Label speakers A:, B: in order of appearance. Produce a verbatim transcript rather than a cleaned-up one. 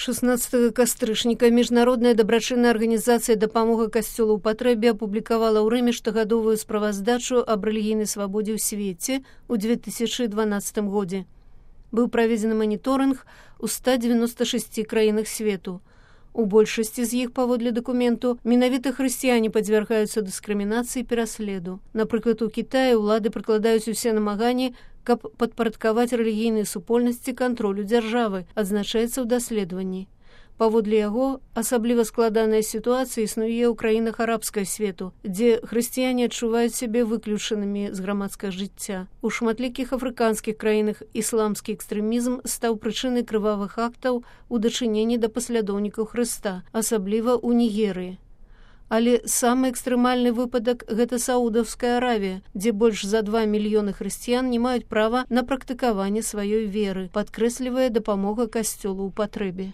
A: шестнадцатага кастрычніка міжнародная дабрачынная арганізацыя дапамога касцёлу ў патрэбе апублікавала ў Рыме штогадовую справаздачу аб рэлігійнай свабодзе ў свеце ў две тысячы дванаццатым годзе. Быў праведзены маніторынг у ста дзевяноста шасці краінах свету. У большасці з іх, паводле дакументу, менавіта хрысціяне падвяргаюцца дыскрымінацыі і пераследу. Напрыклад, у Кітаі ўлады прыкладаюць усе намаганні, каб падпарадкаваць рэлігійныя супольнасці кантролю дзяржавы, адзначаецца ў даследаванні. Паводле яго, асабліва складаная сітуацыя існуе ў краінах арабскага свету, дзе хрысціяне адчуваюць сябе выключанымі з грамадскага жыцця. У шматлікіх афрыканскіх краінах ісламскі экстрэмізм стаў прычынай крывавых актаў у дачыненні да паслядоўнікаў Хрыста, асабліва ў Нігерыі. Але самы экстрэмальны выпадак – гэта Саудаўская Аравія, дзе больш за два мільёны хрысціян не маюць права на практыкаванне сваёй веры, падкрэслівае дапамога касцёлу ў патрэбе.